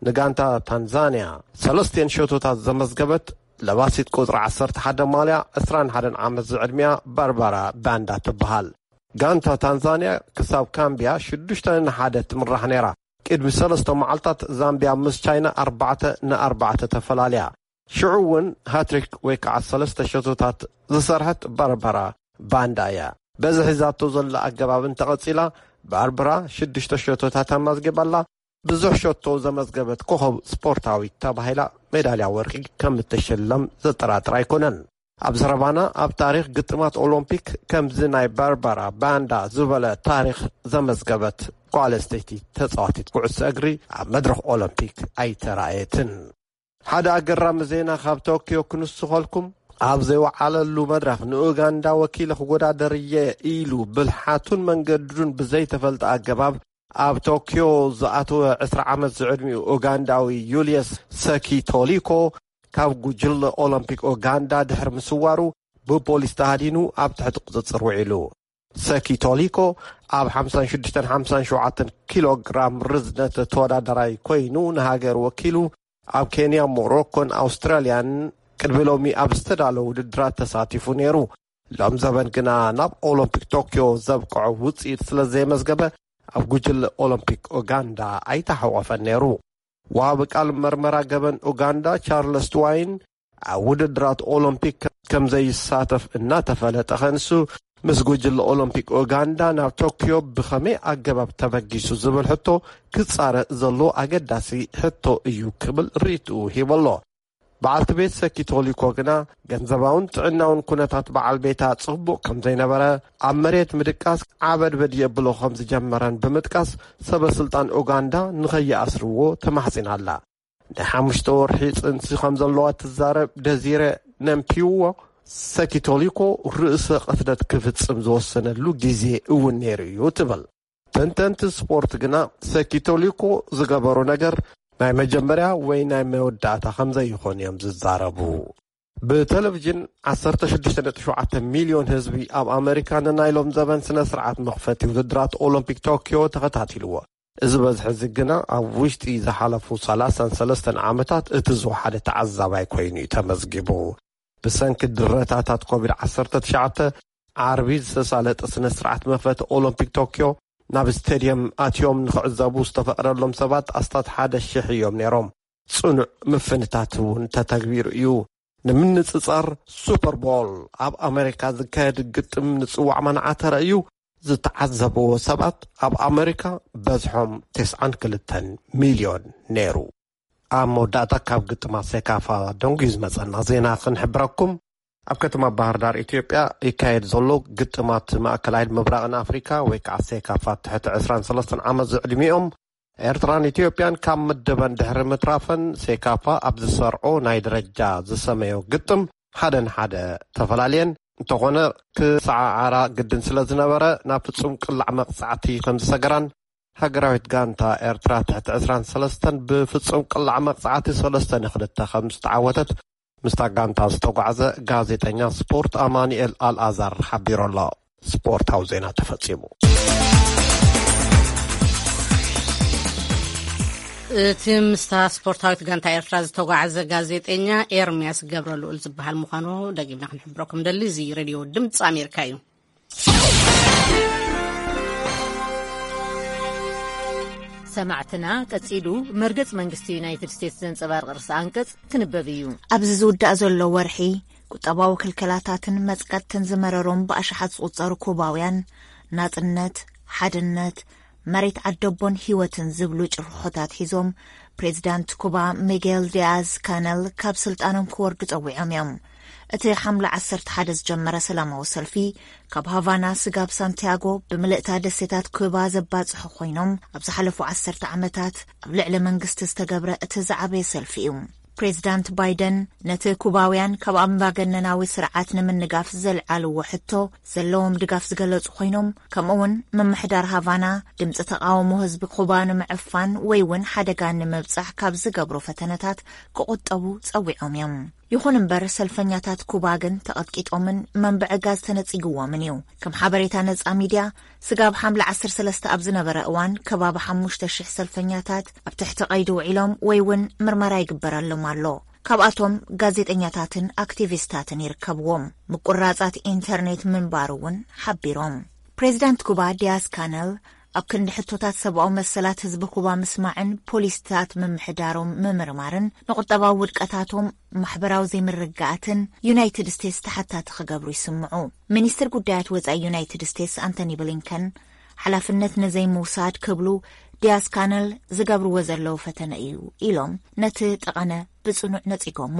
ንጋንታ ታንዛንያ ሰለስቲኤን ሸቶታት ዘመዝገበት ለባሲት ቁጽሪ ዓሰርተ ሓደ ማልያ ዕስራን ሓደን ዓመት ዝዕድሚያ ባርባራ ባንዳ ትበሃል። ጋንታ ታንዛንያ ክሳብ ካምቢያ ሽዱሽተ ንሓደ ትምራሕ ነይራ። ቅድሚ ሰለስተ መዓልታት ዛምቢያ ምስ ቻይና ኣርባዕተ ንኣርባዕተ ተፈላልያ። ሽዑ እውን ሃትሪክ ወይ ከዓ ሰለስተ ሸቶታት ዝሰርሐት ባርባራ ባንዳ እያ። በዚ ሒዛቶ ዘላ ኣገባብ እንተቐጺላ፣ ባርባራ ሽዱሽተ ሸቶታት ኣማዝጊባ ኣላ። ብዙሕ ሸቶ ዘመዝገበት ኮኸብ ስፖርታዊት ተባሂላ ሜዳልያ ወርቂ ከም እትሽለም ዘጠራጥር ኣይኮነን። ኣብ ዘረባና፣ ኣብ ታሪኽ ግጥማት ኦሎምፒክ ከምዚ ናይ ባርባራ ባንዳ ዝበለ ታሪኽ ዘመዝገበት ጓል ኣንስተይቲ ተጻዋቲት ኩዕሶ እግሪ ኣብ መድረኽ ኦሎምፒክ ኣይተራእየትን። ሓደ ኣገራሚ ዜና ካብ ቶክዮ ክንስኸልኩም። ኣብ ዘይወዓለሉ መድረኽ ንኡጋንዳ ወኪለ ክወዳደር እየ ኢሉ ብልሓቱን መንገዱን ብዘይተፈልጠ ኣገባብ ኣብ ቶክዮ ዝኣተወ ዕስራ ዓመት ዝዕድሚኡ ኡጋንዳዊ ዩልየስ ሰኪቶሊኮ ካብ ጉጅለ ኦሎምፒክ ኡጋንዳ ድሕሪ ምስዋሩ ብፖሊስ ተሃዲኑ ኣብ ትሕቲ ቁጽጽር ውዒሉ። ሰኪቶሊኮ ኣብ ሓምሳን ሽዱሽተን ሓምሳን ሸውዓተን ኪሎ ግራም ርዝነት ተወዳዳራይ ኮይኑ ንሃገር ወኪሉ ኣብ ኬንያ፣ ሞሮኮን ኣውስትራልያን ቅድሚ ሎሚ ኣብ ዝተዳለወ ውድድራት ተሳቲፉ ነይሩ። ሎም ዘበን ግና ናብ ኦሎምፒክ ቶክዮ ዘብቅዖ ውፅኢት ስለ ዘየመዝገበ ኣብ ጉጅለ ኦሎምፒክ ኡጋንዳ ኣይተሓቆፈን ነይሩ። ወሃቢ ቃል መርመራ ገበን ኡጋንዳ ቻርለስ ትዋይን ኣብ ውድድራት ኦሎምፒክ ከም ዘይሳተፍ እናተፈለጠ ከንሱ ምስ ጉጅለ ኦሎምፒክ ኡጋንዳ ናብ ቶክዮ ብኸመይ ኣገባብ ተበጊሱ ዝብል ሕቶ ክጻረ ዘሎ ኣገዳሲ ሕቶ እዩ ክብል ርእይትኡ ሂቡ ኣሎ። በዓልቲ ቤት ሰኪቶሊኮ ግና ገንዘባውን ጥዕናውን ኩነታት በዓል ቤታ ጽቡቕ ከም ዘይነበረ፣ ኣብ መሬት ምድቃስ ዓበድበድ የብሎ ከም ዝጀመረን ብምጥቃስ፣ ሰበ ስልጣን ኡጋንዳ ንኸይኣስርዎ ተማሕጺና ኣላ። ናይ ሓሙሽተ ወርሒ ጽንሲ ከም ዘለዋ ትዛረብ ደዚረ ነምፒዎ፣ ሰኪቶሊኮ ርእሰ ቅትለት ክፍጽም ዝወሰነሉ ግዜ እውን ነይሩ እዩ ትብል። ተንተንቲ ስፖርት ግና ሰኪቶሊኮ ዝገበሮ ነገር ናይ መጀመርያ ወይ ናይ መወዳእታ ከም ዘይኾን እዮም ዝዛረቡ። ብቴሌቪዥን ዓሰርተ ሽዱሽተ ነጥቢ ሸውዓተ ሚልዮን ህዝቢ ኣብ ኣመሪካ ንናይ ሎም ዘበን ስነ ስርዓት መኽፈቲ ውድድራት ኦሎምፒክ ቶክዮ ተኸታቲልዎ። እዚ በዝሒ እዚ ግና ኣብ ውሽጢ ዝሓለፉ ሰላሳን ሰለስተን ዓመታት እቲ ዝወሓደ ተዓዛባይ ኮይኑ እዩ ተመዝጊቡ። ብሰንኪ ድረታታት ኮቪድ ዓሰርተ ትሽዓተ፣ ዓርቢ ዝተሳለጠ ስነ ስርዓት መኽፈቲ ኦሎምፒክ ቶክዮ ናብ ስቴድየም ኣትዮም ንኽዕዘቡ ዝተፈቕደሎም ሰባት ኣስታት ሓደ ሽሕ እዮም ነይሮም። ጽኑዕ ምፍንታት እውን ተተግቢሩ እዩ። ንምንጽጻር፣ ሱፐር ቦል ኣብ ኣመሪካ ዝካየድ ግጥም ንጽዋዕ ማንዓ ተራእዩ ዝተዓዘብዎ ሰባት ኣብ ኣመሪካ በዝሖም ተስዓን ክልተን ሚልዮን ነይሩ። ኣብ መወዳእታ ካብ ግጥማት ሴካፋ ደንጉዩ ዝመጸና ዜና ክንሕብረኩም። ኣብ ከተማ ባህር ዳር ኢትዮጵያ ይካየድ ዘሎ ግጥማት ማእከላይን ምብራቕን ኣፍሪካ ወይ ከዓ ሴካፋ ትሕቲ ዕስራን ሰለስተን ዓመት ዝዕድሚኦም ኤርትራን ኢትዮጵያን ካብ ምድበን ድሕሪ ምትራፈን ሴካፋ ኣብ ዝሰርዖ ናይ ደረጃ ዝሰመዮ ግጥም ሓደ ንሓደ ተፈላልየን እንተኾነ ክሰዓዓራ ግድን ስለ ዝነበረ ናብ ፍጹም ቅላዕ መቕጻዕቲ ከም ዝሰገራን ሃገራዊት ጋንታ ኤርትራ ትሕቲ ዕስራን ሰለስተን ብፍጹም ቅላዕ መቕጻዕቲ ሰለስተ ንክልተ ከም ዝተዓወተት ምስታ ጋንታ ዝተጓዕዘ ጋዜጠኛ ስፖርት ኣማኑኤል ኣልኣዛር ሓቢሩ ኣሎ። ስፖርታዊ ዜና ተፈጺሙ። እቲ ምስታ ስፖርታዊት ጋንታ ኤርትራ ዝተጓዕዘ ጋዜጠኛ ኤርምያስ ገብረልኡል ዝበሃል ምዃኑ ደጊምና ክንሕብረኩም ደሊ። እዚ ሬድዮ ድምፂ ኣሜሪካ እዩ። ሰማዕትና፣ ቀጺሉ መርገጽ መንግስቲ ዩናይትድ ስቴትስ ዘንጸባርቕ ርእሰ ኣንቀጽ ክንበብ እዩ። ኣብዚ ዝውዳእ ዘሎ ወርሒ፣ ቁጠባዊ ክልከላታትን መጽቀጥትን ዝመረሮም ብኣሽሓት ዝቑጸሩ ኩባውያን፣ ናጽነት፣ ሓድነት፣ መሬት ዓደቦን ህይወትን ዝብሉ ጭርሖታት ሒዞም፣ ፕሬዚዳንት ኩባ ሚጌል ዲያዝ ካነል ካብ ስልጣኖም ክወርዱ ጸዊዖም እዮም። እቲ ሓምለ ዓሰርተ ሓደ ዝጀመረ ሰላማዊ ሰልፊ፣ ካብ ሃቫና ስጋብ ሳንቲያጎ ብምልእታ ደሴታት ኩባ ዘባጽሑ ኮይኖም፣ ኣብ ዝሓለፉ ዓሰርተ ዓመታት ኣብ ልዕሊ መንግስቲ ዝተገብረ እቲ ዝዓበየ ሰልፊ እዩ። ፕሬዚዳንት ባይደን ነቲ ኩባውያን ካብ ኣምባገነናዊ ስርዓት ንምንጋፍ ዘልዓልዎ ሕቶ ዘለዎም ድጋፍ ዝገለጹ ኮይኖም፣ ከምኡውን ምምሕዳር ሃቫና ድምፂ ተቓውሞ ህዝቢ ኩባ ንምዕፋን ወይ እውን ሓደጋ ንምብጻሕ ካብ ዝገብሮ ፈተነታት ክቑጠቡ ጸዊዖም እዮም። ይኹን እምበር፣ ሰልፈኛታት ኩባ ግን ተቐጥቂጦምን መንብዒ ጋዝ ተነጺግዎምን እዩ። ከም ሓበሬታ ነጻ ሚድያ፣ ስጋብ ሓምለ ዓሰርተ ሰለስተ ኣብ ዝነበረ እዋን፣ ከባቢ ሓሙሽተ ሽሕ ሰልፈኛታት ኣብ ትሕቲ ቀይዲ ውዒሎም ወይ እውን ምርመራ ይግበረሎም ኣሎ። ካብኣቶም ጋዜጠኛታትን ኣክቲቪስታትን ይርከብዎም። ምቁራጻት ኢንተርኔት ምንባሩ እውን ሓቢሮም። ፕሬዚዳንት ኩባ ዲያዝ ካነል ኣብ ክንዲ ሕቶታት ሰብኣዊ መሰላት ህዝቢ ኩባ ምስማዕን ፖሊሲታት ምምሕዳሮም ምምርማርን፣ ንቁጠባዊ ውድቀታቶም፣ ማሕበራዊ ዘይምርግጋኣትን ዩናይትድ ስቴትስ ተሓታቲ ክገብሩ ይስምዑ። ሚኒስትር ጉዳያት ወጻኢ ዩናይትድ ስቴትስ ኣንቶኒ ብሊንከን፣ ሓላፍነት ንዘይምውሳድ ክብሉ ዲያዝ ካነል ዝገብርዎ ዘለዉ ፈተነ እዩ ኢሎም ነቲ ጠቐነ ብጽኑዕ ነጺጎሞ።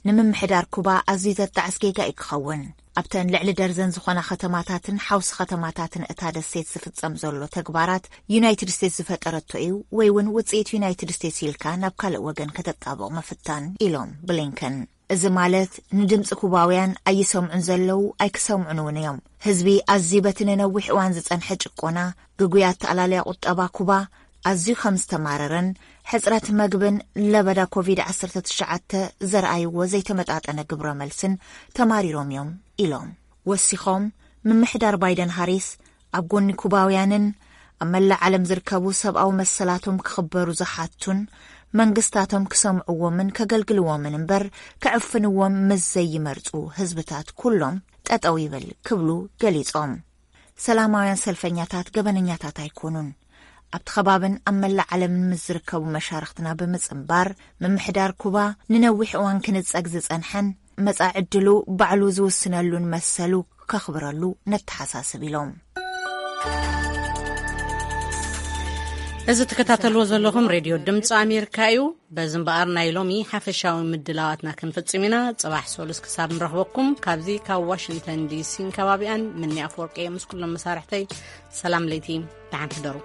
ንምምሕዳር ኩባ ኣዝዩ ዘጣዕስ ጌጋ እዩ ክኸውን። ኣብተን ልዕሊ ደርዘን ዝኾና ከተማታትን ሓውሲ ከተማታትን እታ ደሴት ዝፍጸም ዘሎ ተግባራት ዩናይትድ ስቴትስ ዝፈጠረቶ እዩ ወይ እውን ውጽኢት ዩናይትድ ስቴትስ ኢልካ ናብ ካልእ ወገን ከተጣብቕ ምፍታን ኢሎም ብሊንከን። እዚ ማለት ንድምፂ ኩባውያን ኣይሰምዑን ዘለዉ ኣይክሰምዑን እውን እዮም። ህዝቢ ኣዝዩ በቲ ንነዊሕ እዋን ዝጸንሐ ጭቆና፣ ግጉይ ኣተኣላልያ ቁጠባ ኩባ ኣዝዩ ከም ዝተማረረን ሕጽረት መግብን ለበዳ ኮቪድ ዓሰርተ ትሽዓተ ዘርኣይዎ ዘይተመጣጠነ ግብረ መልስን ተማሪሮም እዮም ኢሎም። ወሲኾም ምምሕዳር ባይደን ሃሪስ ኣብ ጎኒ ኩባውያንን ኣብ መላእ ዓለም ዝርከቡ ሰብኣዊ መሰላቶም ክኽበሩ ዝሓቱን መንግስታቶም ክሰምዕዎምን ከገልግልዎምን እምበር ክዕፍንዎም ምስ ዘይመርጹ ህዝብታት ኩሎም ጠጠው ይበል ክብሉ ገሊጾም። ሰላማውያን ሰልፈኛታት ገበነኛታት ኣይኮኑን። ኣብቲ ከባብን ኣብ መላእ ዓለምን ምስ ዝርከቡ መሻርኽትና ብምጽንባር፣ ምምሕዳር ኩባ ንነዊሕ እዋን ክንጸግ ዝጸንሐን መጻኢ ዕድሉ ባዕሉ ዝውስነሉን መሰሉ ከኽብረሉ ነተሓሳስብ ኢሎም። እዚ ትከታተልዎ ዘለኹም ሬድዮ ድምፂ ኣሜሪካ እዩ። በዚ እምበኣር ናይ ሎሚ ሓፈሻዊ ምድላዋትና ክንፍጽም ኢና። ጽባሕ ሶሉስ ክሳብ ንረኽበኩም ካብዚ ካብ ዋሽንግተን ዲሲን ከባቢኣን ምኒ ኣፈወርቂ ምስ ኩሎም መሳርሕተይ ሰላም ለይቲ፣ ደሓን ሕደሩ።